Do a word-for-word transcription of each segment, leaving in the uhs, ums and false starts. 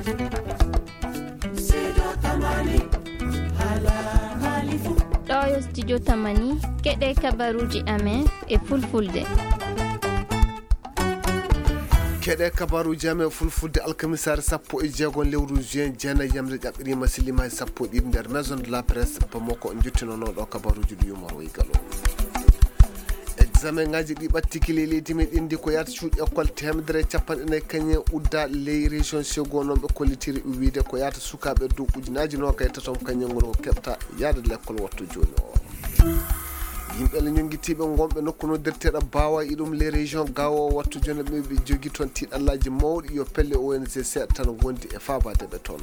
Ɗo yo studio Tamani, keɗe kabaruuji amen e fulfulde. Keɗe kabaruuji amen e fulfulde alkamisaare sappo e jeego lewru juin, jeenayi yamre ƴaɓɓiriima, silliima e sappo e ɗiɗi nder Maison de la Presse Bamako. On njettinoono ɗo kabaruuji ɗi yumor woy galo. Examen ngaji ɗi ɓattiki ley leydi men indi ko yaata cuuɗi école teemedere e capanɗe nayi kañum en udda ley région Ségou, noon ɓe kollitiri wiide ko yaata sukaaɓe dow ujunaaji noogay e tatom kañum en ngoni ko keɓta yaade lekkol wattu jooni o. Yimɓe le ñonngitiiɓe ngonɓe nokku noddirteeɗo Baawa e ɗum les régions Gaawo wattu jooni ɓe ɓe jogi toon tiiɗallaaji mawɗi yo pelle O N G C tan ngondi e faabaade ɓe toon.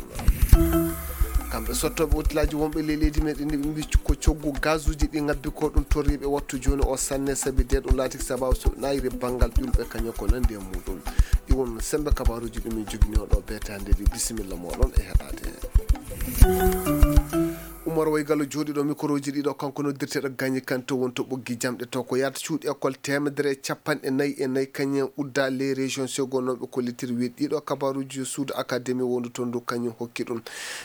Kamɓe sottooɓe otilaaji wonɓe ley leydi meɗen ɓe mbi ko coggu gazuuji ɗi ngabbi ko ɗum torriiɓe wattu jooni o sanne sabi de ɗum laati sababu so naayiri banngal ƴulɓe kañum ko nandi e muɗum. Ɗi won sembe kabaruuji ɗum min joginoo ɗo beetaande ɗi bisimilla moɗon e heɗaade. Umar Waygallo jooɗiiɗo mikroji ɗiɗo kanko noddirteeɗo Gagny Kanté won to ɓoggi jamɗe to ko yaata cuuɗi école teemedere e capanɗe nayi e nayi kañum en udda les régions segonooɓe kollitiri wiide ɗiɗo kabaruuji yo suudu académie wondu toon ndu kañum hokki ɗum.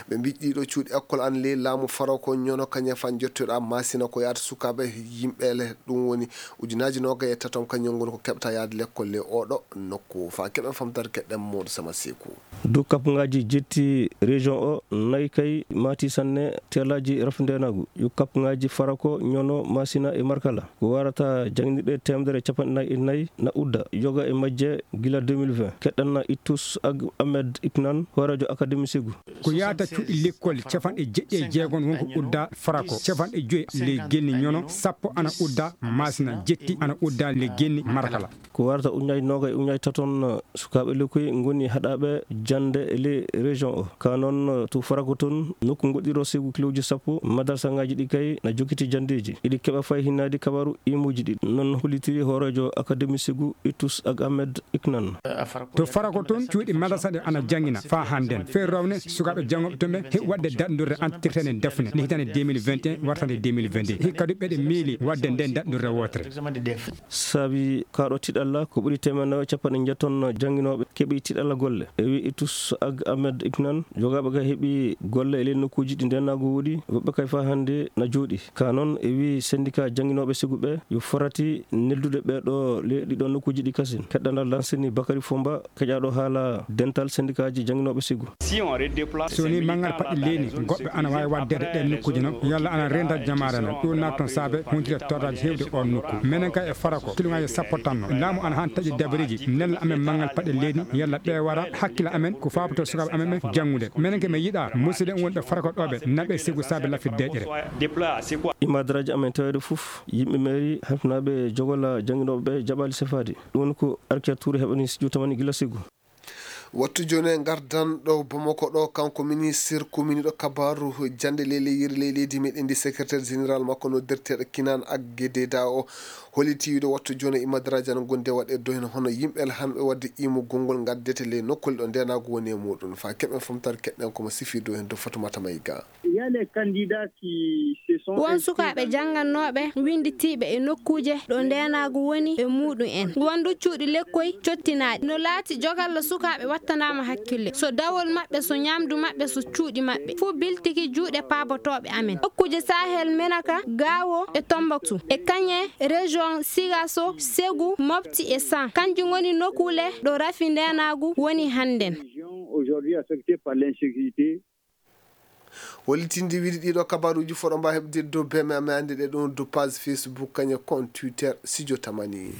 Ɓe mbi ɗiɗo cuuɗi école an ley laamu faro ko ñono kañum fan jottoɗa masina ko yaata sukaaɓe yimɓeele ɗum woni ujunaaji noogay e tatom kañum ngoni ko keɓta yaade lekkol ley oɗo nokku fa keɓen famtare keɗɗen Modou Sama Seku. Dow kappugaaji jetti région o, nayi kay maati sanne teelaaji rafi ndeenaagu. Yo kappugaaji Farako, Ñono, Maasina e Markala. Ko warata jannginirɗe teemedere e capanɗe nayi e nayi na udda, yoga e majje gila deux mille vingt. Keɗɗanna Ittus Ag Ahmed Iknan, hooreejo Akademi Segu. Ko yaata cuuɗi lekkol capanɗe jeɗɗi e jeegom won ko udda Farako. Capanɗe joyi le genni Ñono, sappo ana udda Maasina, jetti ana udda le genni Markala. Ko warata ujunnaaji noogay e ujunnaaji taton sukaaɓe lekkoy ngoni haɗaaɓe jannde e ley région o. Ka noon, to Farako toon, nokku ngoɗɗiro Segu kilooji sappo, madarasaaji ɗi kay na jokkiti janndeeji. Iɗi keɓa fay hinnaade kabaru imuuji ɗi. Noon hollitiri hooreejo Akademi Segu, Ittus Ag Ahmed Iknan. To Farako toon, cuuɗi madarasa ɗe ana janngina faa hannden. Fee rowne sukaaɓe janngooɓe toon ɓe heɓi waɗde daɗndorde entretien e dafne ne hitaande deux mille vingt et un wartande deux mille vingt-deux. Hikka du ɓeɗe miili waɗde nden daɗndorde wootere. Saabi kaaɗo tiɗalla ko ɓuri teemedde nayi e capanɗe jeetom jannginooɓe keɓi tiɗalla golle. E wi Itus Ag Ahmed Iknan, jogaaɓe kay heɓi golle e ley nokkuuji ɗi ndeenaagu woodi, woɓɓe kay faa hannde na jooɗi. Ka noon e wi sendika jannginooɓe Segu ɓe, yo farati neldude ɓee ɗo ley ɗiɗo nokkuuji ɗi kasin. Keɗɗanɗal lansini Bakari Fomba, keƴaaɗo haala dental sendikaaji jannginooɓe Segu. Si on redéplace. So woni manngal paɗɗe leydi, goɗɓe ana waawi waɗdeede ɗeen nokkuuji noon, yalla ana renda jamaare men. Ɗum naata toon saabe huntide tordaaji heewde oon nokku. Menen kay e Farako, kilomètre sappo tan no. Laamu ana haan taƴi dabareeji, nella amen manngal paɗɗe leydi, yalla ɓe wara hakkila amen, ko faabotoo sukaaɓe amen ɓe janngude. Menen kay mi yiɗaa, musidɓe wonɓe Farako ɗo ɓe, naɓe Segu saabe lafit deeƴere. Imadraji amen taweede fof, yimɓe mairie, halfinaaɓe jogola jannginooɓe ɓe jaɓaali sefaade. Ɗum woni ko Arkia Touré heɓani studio Tamani gila Segu. Wattu jooni e ngardan ɗo Bamako ɗo, kanko ministre kuminiiɗo kabaaru jannde ley ley yeri ley leydi meɗen ndi, secrétaire général makko noddirteeɗo Kinan Agge Deda o holliti wiide wattu jooni e imadraji ana ngondi e waɗe dohen hono yimɓe hanɓe waɗde imugol ngol ngaddete ley nokkuule ɗo ndeenaagu woni e muɗum. Faa keɓen fomtare keɗɗen ko mo sifi dohen to Fatoumata Maïga. Il y a les candidats qui se sont Won inscrits sukaaɓe dans janngannooɓe winnditiiɓe e nokkuuje ɗo ndeenaagu woni e muuɗum en. Won du cuuɗi lekkoy cottinaaɗi. No laati jogalla sukaaɓe wattanaama hakkille. So dawol maɓɓe, so ñaamdu maɓɓe, so cuuɗi maɓɓe. Fuu biltiki juuɗe paabotooɓe amen. Nokkuuje Sahel, Menaka, Gaawo e Tombouctou. E kañe région Sigasso, Ségou, Mopti e San. Kanji ngoni nokkuule ɗo rafi ndeenaagu woni hannden. Région aujourd'hui affectée par l'insécurité. Hollitinde wiide ɗiɗo kabaruuji foɗo mba heɓde dow B M M ande ɗe ɗum dow page Facebook kañe compte Twitter Studio Tamani.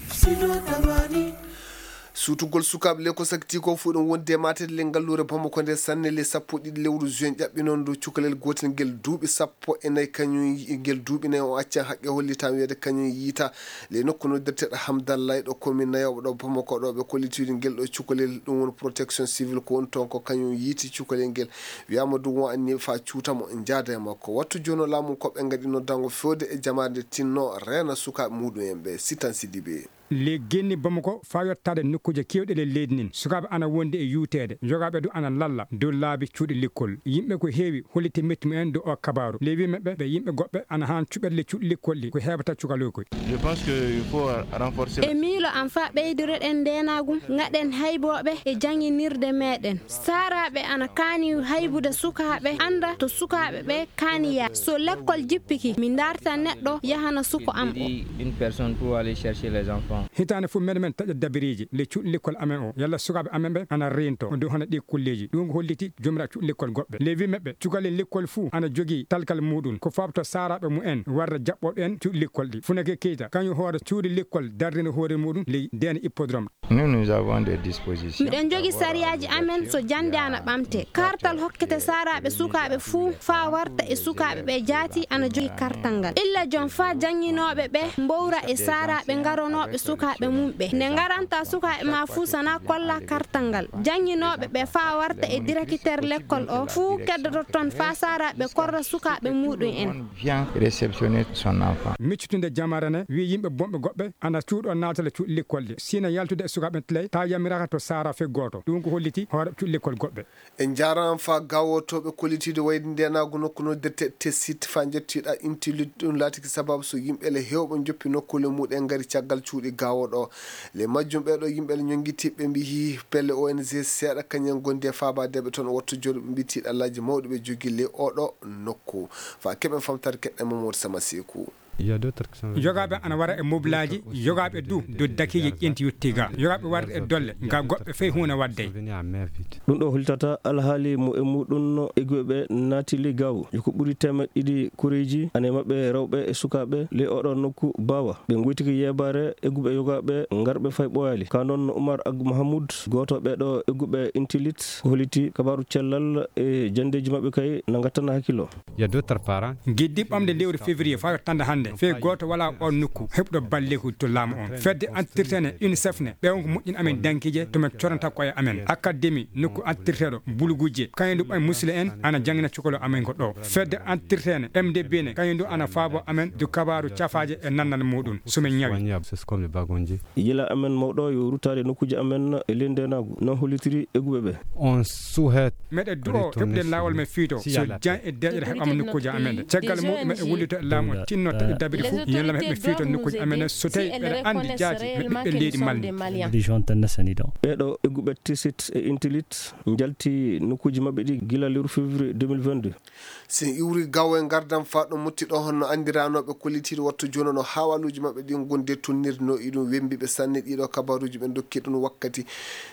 Suutugol sukaaɓe le ko sakti ko fuɗɗum wonde e maatede le ngalluure Bamako nde sanne le sappo e ɗiɗi lewru juin ƴaɓɓi noon ndu cukalel gootel ngel duuɓi sappo e nayi kañum yi-, ngel duuɓi nayi o accan haqqe hollitaama wiyeede kañum yiita le nokku noddirteeɗo Hamdallah ɗo commune nayooɓo ɗo Bamako ɗo ɓe kollitiiɗo ngel ɗo cukalel ɗum woni protection civile ko woni toon ko kañum yiiti cukalel ngel. Wiyaama ɗum o anni faa cuuta mo, njaada e makko. Wattu jooni o laamu ko ɓe ngaɗi noddango feewde e jamaare nde tinno reena sukaaɓe muɗum en ɓe. Sitan Sidibe. Ley genni Bamako faa yottaade nokkuuje keewɗi ley leydi ndin, sukaaɓe ana wondi e yuuteede, yogaaɓe du ana lalla dow laabi cuuɗi lekkol. Yimɓe ko heewi holliti metti mumen dow oo kabaaru. Ley wii maɓɓe, ɓe yimɓe goɗɓe ana haan cuɓeede ley cuuɗi lekkol ɗi, ko heɓata cukaloy koy. Je pense que il faut renforcer. E miilo am, faa ɓeydiroɗen ndeenaagu, ngaɗen haybooɓe e jannginirde meeɗen. Saaraaɓe ana kaani haybude sukaaɓe, annda to sukaaɓe ɓe kaani yaade. So lekkol jippike, mi darta neɗɗo yahana suko am o. Une personne pour aller chercher les enfants. Hitaande fof meɗen men taƴa dabiriiji ley cuuɗi lekkol amen o, yalla sukaaɓe amen ɓe ana reentoo dow hono ɗii kulleeji. Ɗum ko holliti joomiraaɓe cuuɗi lekkol goɗɓe. Ley wii maɓɓe, cukalel lekkol fuu ana jogii talkal muuɗum, ko faaboto saaraaɓe mumen warde jaɓɓooɓe en cuuɗi lekkol ɗi. Funake Keita, kañum hoore cuuɗi lekkol darnde hoore muuɗum ley Dena Hippodrome. Nous, nous avons des dispositions. Miɗen njogi sariyaaji amen so jannde ana ɓamte. Kartal hokkete saaraaɓe sukaaɓe fuu faa warta e sukaaɓe ɓe jaati ana jogi kartal ngal. Illa joom faa jannginooɓe ɓe mbowra e saaraaɓe ngaronooɓe sukaaɓe mum ɓe. Nde ngaranta sukaaɓe ma fuu, sana kolla kartal ngal. Jannginooɓe ɓe faa warta e direkiteer lekkol o fuu keddoto toon faa saaraaɓe korra sukaaɓe muuɗum en. Vient réceptionner son enfant. Miccutunde jamaare ne wii yimɓe bonɓe goɗɓe ana cuuɗo naatale cuuɗi lekkol ɗi. Sina yaltude e sukaaɓe en tilay, taa yamiraaka to saara fey gooto. Ɗum ko holliti hoore cuuɗi lekkol goɗɓe. En njaaraama faa gaawotooɓe kollitiiɗo wayde ndeenaagu nokku noddirte Tessit faa njettiiɗa Intilit. Ɗum laatiki sababu so yimɓe le heewɓe njoppi nokkuule muɗen ngari caggal cuuɗi gaawo ɗo. Le majjum ɓee ɗo yimɓe le ñonngitiiɓe mbiyi pelle O N G seeɗa kañum en gondi e faabaade ɓe toon wattu jooni ɓe mbiyi tiiɗallaaji mawɗi ɓe jogii le oɗo nokku. Faa keɓen famtaade keɗɗen Mamadou Sama Seeku. Yogaaɓe ana wara e moblaaji, yogaaɓe du dow dakiije ƴenti yotti ga. Yogaaɓe warde e dolle, ga goɗɓe fey huune waddey. Ɗum ɗo hollitata alhaali mo e muɗum no egguɓe ɓe naati ley gaawu. Yo ko ɓuri teemeɗɗe ɗiɗi koreeji, ana e maɓɓe rewɓe e sukaaɓe, ley oɗo nokku baawa. Ɓe ngoytiki yeebaare egguɓe yogaaɓe ngarɓe fay ɓooyaali. Ka noon Umar Ag Mahamoud, gooto ɓee ɗo egguɓe Intilit, ko holliti kabaaru cellal e janndeeji maɓɓe kay na ngattana hakkillo. Il y a d'autres parents. Giddi ɓamde lewru février faa yottande hannde, fey gooto walaa oon nokku heɓɗo balleeku to laamu on. Fedde antirtene UNICEF ne, ɓe on ko moƴƴin amen dankiije to men coranta koye amen. Académie nokku antirteeɗo bulugujje, kañum du ɓay musule en ana janngina cukalo amen ko ɗo. Fedde antirtene M D B ne, kañum du ana faabo amen du kabaaru cafaaje e nannal muɗum so men ñawi. Soignable, c'est comme le bagonje. Yila amen mawɗo yo ruttaade nokkuuji amen e ley ndeenaagu, non hollitiri egguɓe ɓe. On souhaite. Meɗe du'o heɓude laawol men fiito so jan e deeƴere heɓama nokkuuji amen ɗe. Caggal muɗum meɗe wullito e laamu o tinno taƴo dabiri fof yalla heɓe fiito nokkuuji amen ɗe so tawi ɓeɗe anndi jaati ɓe ɓiɓɓe leydi Mali. Ɓee ɗo egguɓe Tessit e Intilit njalti nokkuuji maɓɓe ɗi gila lewru février deux mille vingt-deux. Si en iwri gawo e ngardam faa ɗo motti ɗo, honno anndiranooɓe kollitiiɗo wattu jooni no haawaaluuji maɓɓe ɗin gonde tonnirde no e ɗum wembiɓe sanne. Ɗiɗo kabaaruuji ɓe ndokki ɗum wakkati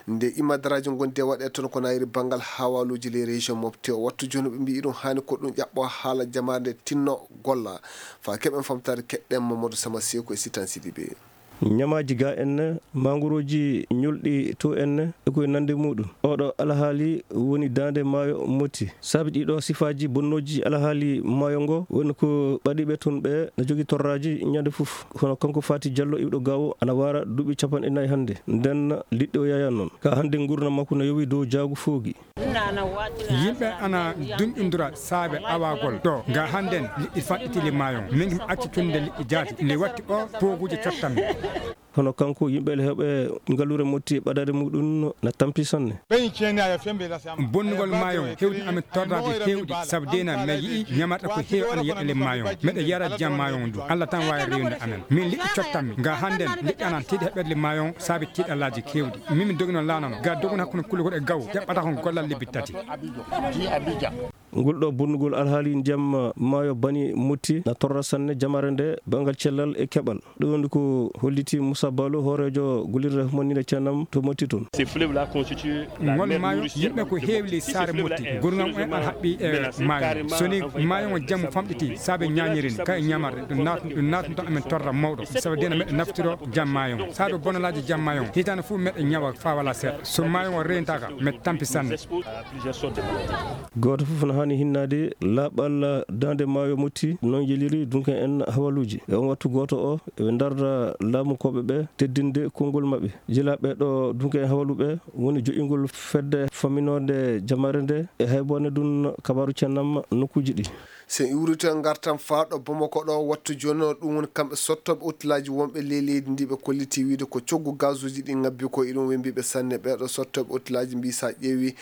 nde imadaraaji gonde waɗe toon ko nayri banngal haawaaluuji ley région Mopti o. Wattu jooni ɓe mbiyi ɗum haani ko ɗum ƴaɓɓo haala jamaare nde tinno golla. Faa keɓen famtaade keɗɗen Mamadou Sama Seeku e Sitan Sidibe. Ñamaaji ga en ne, mangorooji ñolɗi to en ne, e koye nande muɗum. Oɗo alhaali woni daande maayo Moti. Saabi ɗiɗo sifaaji bonnooji alhaali maayo ngo, woni ko ɓadiiɓe toon ɓe na jogi torraaji ñande fof. Hono kanko Fati Jallo iwɗo gawo ana wara duuɓi capanɗe nayi hannde. Nden liɗɗi o yaya noon. Ka hannde ngurnam makko na yowi dow jaagu foogi. Yimɓe ana dunƴondira saabe awagol ɗo. Ga hannden liɗɗi fanɗiti le maayo. Min mi acci cunde liɗɗi jaati. Nde watti o pooguuje cottanmi. Hono kanko, yimɓe le heewɓe ngaluure Moti ɓadaade muɗum na tampi sanne. Bonnugol maayo hewti amin torraaji heewɗi, sabu deena mi yi'i ñamarɗe ko heewi ana yeɗɗa le maayo. Meɗe yara jam maayo ndu. Allah tan waawi rewinde amen. Min liɗɗi cottanmi. Ga hannden liɗɗi ana tiiɗi heɓɓeede le maayo saabi tiiɗallaaji keewɗi. Min mi dogino laana no. Ga dogun hakkunde Kulukoro e Gawo, ƴaɓɓata kon gollal lebbi tati. Ngol ɗo bonnugol alhaali ndiyam maayo bani Moti na torra sanne jamaare nde banngal cellal e keɓal. Ɗum woni ko holliti Moussa Balo, hooreejo gollirde humaninde ceenam to Moti toon. Ces fleuves-là constituent la Ngol mer maayo, nourricière yimɓe ko heewli saare Moti. Gurnam en ana haɓɓi e maayo. So ni maayo ngo jammu famɗiti, saabe ñaañirin, ka e ñamarde, ɗum naat-, ɗum naatnude amen torra mawɗo. Sabu dena meɗe naftiro jam maayo ngo. Saabe bonalaaji jam maayo ngo. Hitaande fof meɗe ñawa faa wala seeɗa. So maayo ngo reentaaka, meɗe tampi sanne. Gooto fof na Ni hinnaade laaɓal daande maayo Motti, noon yeliri dunke en hawaluuji. E on wattu gooto o, eɓe ndarda laamukooɓe ɓe teddinde konngol maɓɓe. Jilaa ɓee ɗo dunke en hawaluɓe woni joƴƴingol fedde famminoonde jamaare nde e hayboone ɗum kabaaru cennam nokkuuji ɗi. So en iwrito en ngartan faa ɗo Bamako ɗo, wattu jooni o, ɗum woni kamɓe sottooɓe otilaaji wonɓe ley leydi ndi ɓe kolliti wiyde ko coggu gazuuji ɗi ngabbi ko, iɗum wembiiɓe sanne. Ɓee ɗo sottooɓe otilaaji mbii so a ƴeewi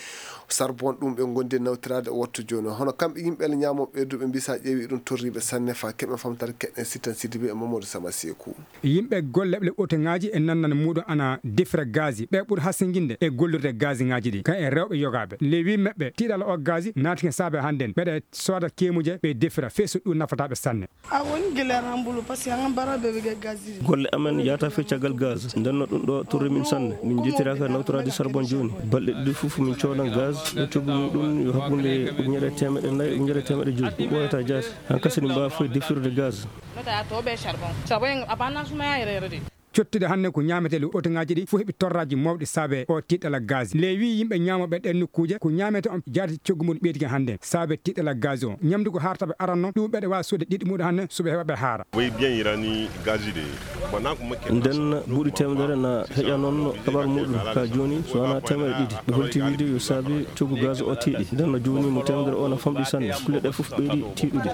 sarbon ɗum ɓe ngondi nawtiraade o, wattu jooni o. Hono kamɓe yimɓe le ñaamooɓe ɓee du ɓe mbii so a ƴeewi iɗum torriiɓe sanne. Faa keɓen famtaare keɗen Sitan Sidibe e Mamadou Sama Seeku. Yimɓe golle ɓe otoŋaaji e nannana muuɗum ana defira gaz. Ɓe ɓuri hasinginde e gollirde gaziŋaaji ɗi, kan e rewɓe yogaaɓe. Ley wii maɓɓe, tiiɗalla o gaz naatike saabe hannden. Ɓeɗe sooda keemuje, ɓe defira, fee so ɗum nafata ɓe sanne. A woni gila rambulu, parce que an bara bebe ga gaz. Golle amen yahata fee caggal gaz. Nden no ɗum ɗo torri min sanne. Min njettiraaka nawtoraade charbon jooni. Balɗe ɗiɗi fof min coodan gaz. E coggu muɗum yo hakkunde ujunere e teemeɗɗe nayi, ujunere e teemeɗɗe joyi. Ɗum ɓooyataa jaati. Hankasi min mbaawa fof defirde gaz. Nota to ɓe charbon. Charbon a banna suma ya yere yere de. Cottude hannde ko ñaametee ley otoŋaaji ɗi fof heɓi torraaji mawɗi saabe o tiiɗalla gaz. Ley wii yimɓe ñaamooɓe ɗeen nokkuuje ko ñaametee on jaati coggu mum ɓeydike hannde saabe tiiɗalla gaz o. Ñamdu ko haarata ɓe aranno, ɗum ɓeɗe waawi soodde ɗiɗi muɗum hannde, so ɓe heɓa ɓe haara. Way bien yirani gazi de. Nden buuɗi teemedere na heƴa noon kabar muɗum ka jooni so wonaa teemedere ɗiɗi. Ɓe holti wiide yo saabi coggu gaz o tiiɗi. Nden no jooni mo teemedere o na famɗi sanne. Kulle ɗe fof ɓeydi tiiɗude.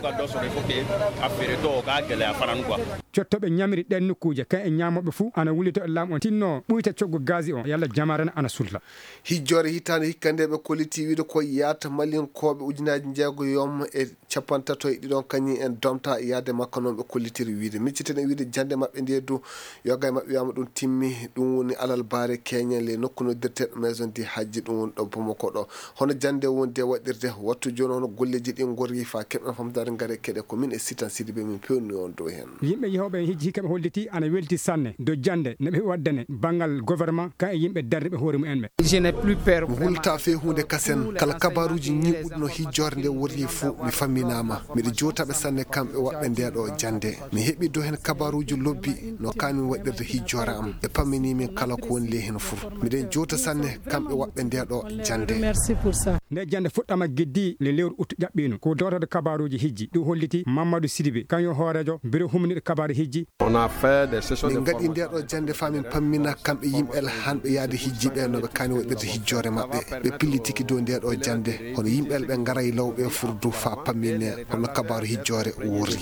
Cottooɓe ñamiri ɗeen nokkuuje, kan e ñaamooɓe fuu, ana wullito e laamu on tinno ɓuyta coggu gaz on, yalla jamaare na ana sulta. Hijjoore hitaande hikka nde ɓe kolliti wiide ko yaata Malinkooɓe ujunaaji njeego yom e capantato e ɗiɗon kañum en domta yaade makko noon ɓe kollitiri wiide. Micciten e wiide jannde maɓɓe nde du, yoga e maɓɓe wiyaama ɗum timmi, ɗum woni alal baare keñen le nokku noddirteeɗo Maison du Hajji, ɗum woni ɗo Bamako ɗo. Hono jannde woni de waɗirde, wattu jooni hono golleeji ɗi ngorri faa keɓen famtaare ngare keɗe ko min e Sitan Sidibe min pewni on dow heen. Yimɓe yehooɓe hijji hikka ɓe holliti ana welti sanne dow jannde no ɓe waɗdane banngal gouvernement kan e yimɓe darniiɓe hoore mumen ɓe. Je n'ai plus peur. Mi hulta fee huunde kasen. Kala kabaaruuji ñiiɓuɗi no hijjoore nde worri fof mi famminaama. Miɗo jootaɓe sanne kamɓe waɗɓe nde ɗo jannde. Mi heɓi dow heen kabaaruuji lobbi no kaani waɗirde hijjoore am. Ɓe pammini min kala ko woni ley heen fof. Miɗen joota sanne kamɓe waɗɓe nde ɗo jannde. Merci pour ça. Nde jannde fuɗɗama geddi le lewru ut ƴaɓɓiino. Ko dowtorde kabaaruuji hijji. Ɗum holliti Mamadou Sidibé, kañum hooreejo biro humniɗo kabaaru hijji. On a fait des sessions de formation. Min ngaɗi nde ɗo jannde faa min pammina kamɓe yimɓe hanɓe yaade hijji ɓe no ɓe kaani waɗirde hijjoore maɓɓe. Ɓe pillitiki dow nde ɗo jannde. Hono yimɓe ɓe ngaray law ɓe furdu faa pammine hono kabaaru hijjoore worri.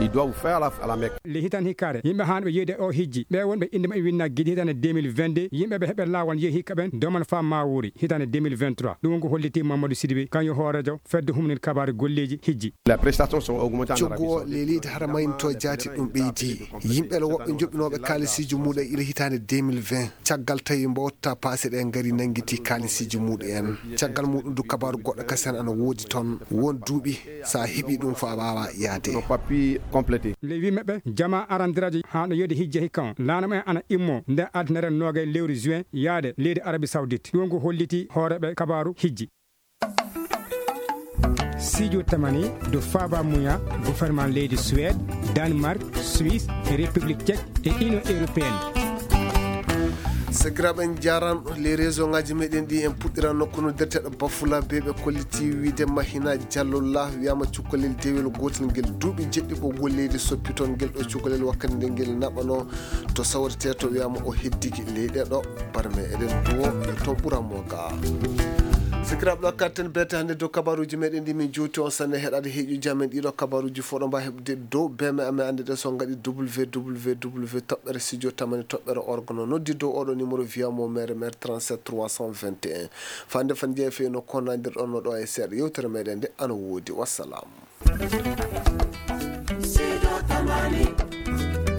Il doit vous faire à la, à la Mecque. Le hitaande hikkaare, yimɓe hanɓe yeeyde o hijji, ɓe wonɓe innde maɓɓe winna gidi hitaande deux mille vingt-deux, yimɓe ɓe heɓe laawol yehi hikka ɓen, doman faa Maawuri, hitaande deux mille vingt-trois. Ɗum ko holliti Mamadou Sidibé, kañum hooreejo fedde humnit kabaaru golleeji hijji. Les prestations sont augmentées en Arabie Saoudite. Coggu o le leydi Haramayni to jaati ɗum ɓeydi. Yimɓe le woɓɓe joɓɓinooɓe kaalisiiji muɗum ila hitaande deux mille vingt. Caggal tawi mbowta paase ɗe ngari nanngiti kaalisiiji muɗum en. Caggal muɗum du kabaaru goɗɗo kasen ana woodi toon. Won duuɓi sa heɓi ɗum fo a waawa yaade. Nos papiers complétés. Le huit maɓɓe, jama arandiraajo haa no yeeyde hijji hikka on. Laana mo en ana immo nde altinere noogay lewru juin yaade leydi Arabie Saoudite. Ɗum ko holliti hooreeɓe kabaaru hijji. Sijo tamani do Faba Muya, gouvernement leydi Suède, Danemark, Suisse, République Tchèque et Union Européenne. Sakiraaɓe, en njaaraama. Les réseau ngaji meɗen ɗi en puɗɗiran nokku no ndeteɗo Bafula be ɓe kolliti wiide Mahina Jallola wiyama cukkalel dewel gotel ngel duuɓi jeɗɗi ɓoggol leydi soppi toon. Ngel ɗo cukkalel wakkati nde ngel naɓano to sawrete to wiyama o heddiki leyɗe ɗo. Barme eɗen duwo yo toon ɓuran mo ga. Sakiraaɓe, ɗo katten bete hannde dow kabaruuji meɗen ɗi min juuti on sanne heɗade heeƴuji amen ɗiɗo kabaruuji fof ɗo mbawi heɓde dow beme amen annde ɗe so ngaɗi www toɓɓere studio tamani toɓɓere org no noddi dow oɗo numéro via mo mere mere trente-sept trois cent vingt et un. Fande fan jeeya fewi no konnadirɗon no ɗo e seeɗa yewtere meɗen nde ana woodi. Wassalam. Sido Tamani.